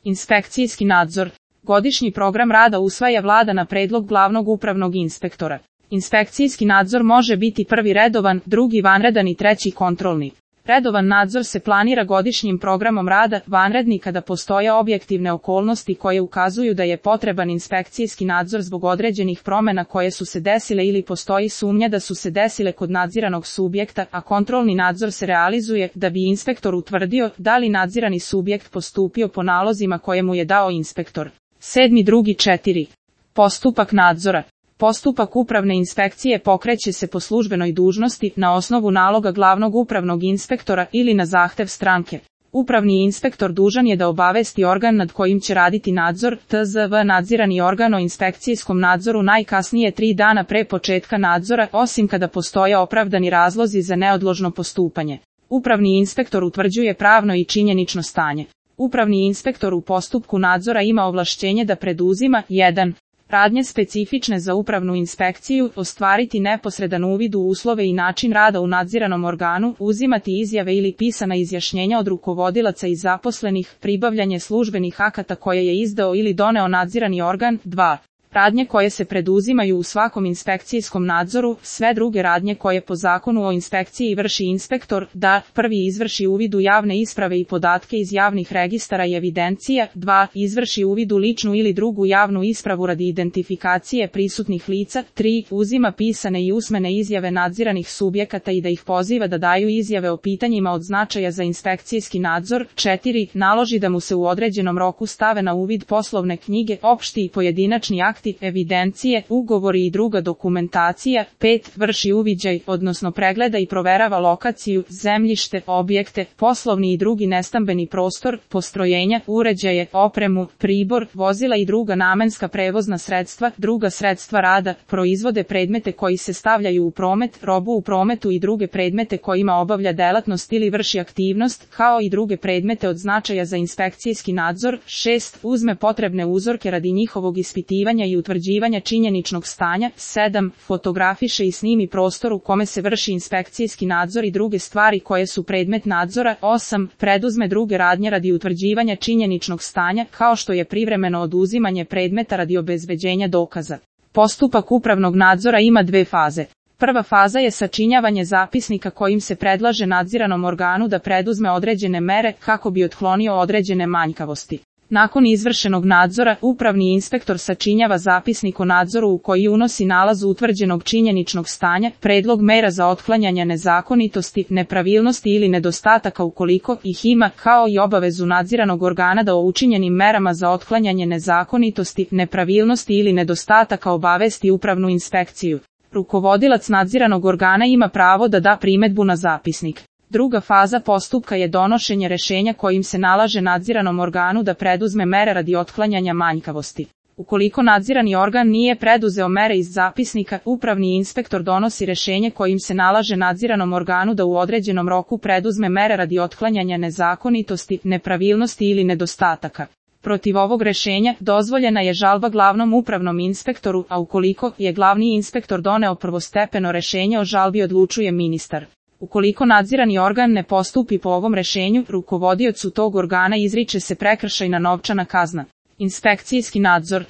Inspekcijski nadzor. Godišnji program rada usvaja Vlada na predlog glavnog upravnog inspektora. Inspekcijski nadzor može biti prvi redovan, drugi vanredan i treći kontrolni. Redovan nadzor se planira godišnjim programom rada, vanredni kada postoje objektivne okolnosti koje ukazuju da je potreban inspekcijski nadzor zbog određenih promjena koje su se desile ili postoji sumnja da su se desile kod nadziranog subjekta, a kontrolni nadzor se realizuje da bi inspektor utvrdio da li nadzirani subjekt postupio po nalozima koje mu je dao inspektor. 7.2.4. Postupak nadzora. Postupak upravne inspekcije pokreće se po službenoj dužnosti na osnovu naloga glavnog upravnog inspektora ili na zahtev stranke. Upravni inspektor dužan je da obavesti organ nad kojim će raditi nadzor, tzv. nadzirani organ o inspekcijskom nadzoru najkasnije 3 dana pre početka nadzora, osim kada postoje opravdani razlozi za neodložno postupanje. Upravni inspektor utvrđuje pravno i činjenično stanje. Upravni inspektor u postupku nadzora ima ovlašćenje da preduzima 1. Radnje specifične za upravnu inspekciju, ostvariti neposredan uvid u uslove i način rada u nadziranom organu, uzimati izjave ili pisana izjašnjenja od rukovodilaca i zaposlenih, pribavljanje službenih akata koje je izdao ili doneo nadzirani organ. 2. Radnje koje se preduzimaju u svakom inspekcijskom nadzoru, sve druge radnje koje po zakonu o inspekciji vrši inspektor, da 1. izvrši uvid u javne isprave i podatke iz javnih registara i evidencija, 2. izvrši uvid u ličnu ili drugu javnu ispravu radi identifikacije prisutnih lica, 3. uzima pisane i usmene izjave nadziranih subjekata i da ih poziva da daju izjave o pitanjima od značaja za inspekcijski nadzor, 4. naloži da mu se u određenom roku stave na uvid poslovne knjige, opšti i pojedinačni akti, evidencije, ugovori i druga dokumentacija, 5. vrši uviđaj, odnosno pregleda i proverava lokaciju, zemljište, objekte, poslovni i drugi nestambeni prostor, postrojenja, uređaje, opremu, pribor, vozila i druga namenska prevozna sredstva, druga sredstva rada, proizvode, predmete koji se stavljaju u promet, robu u prometu i druge predmete kojima obavlja delatnost ili vrši aktivnost, kao i druge predmete od značaja za inspekcijski nadzor, 6. uzme potrebne uzorke radi njihovog ispitivanja i utvrđivanja činjeničnog stanja, 7. fotografiše i snimi prostor u kome se vrši inspekcijski nadzor i druge stvari koje su predmet nadzora, 8. preduzme druge radnje radi utvrđivanja činjeničnog stanja, kao što je privremeno oduzimanje predmeta radi obezbeđenja dokaza. Postupak upravnog nadzora ima 2 faze. Prva faza je sačinjavanje zapisnika kojim se predlaže nadziranom organu da preduzme određene mere kako bi otklonio određene manjkavosti. Nakon izvršenog nadzora, upravni inspektor sačinjava zapisnik o nadzoru u koji unosi nalaz utvrđenog činjeničnog stanja, predlog mera za otklanjanje nezakonitosti, nepravilnosti ili nedostataka ukoliko ih ima, kao i obavezu nadziranog organa da o učinjenim merama za otklanjanje nezakonitosti, nepravilnosti ili nedostataka obavesti upravnu inspekciju. Rukovodilac nadziranog organa ima pravo da da primedbu na zapisnik. Druga faza postupka je donošenje rješenja kojim se nalaže nadziranom organu da preduzme mere radi otklanjanja manjkavosti. Ukoliko nadzirani organ nije preduzeo mere iz zapisnika, upravni inspektor donosi rješenje kojim se nalaže nadziranom organu da u određenom roku preduzme mere radi otklanjanja nezakonitosti, nepravilnosti ili nedostataka. Protiv ovog rješenja dozvoljena je žalba glavnom upravnom inspektoru, a ukoliko je glavni inspektor doneo prvostepeno rješenje o žalbi odlučuje ministar. Ukoliko nadzirani organ ne postupi po ovom rješenju, rukovodiocu tog organa izriče se prekršajna novčana kazna. Inspekcijski nadzor.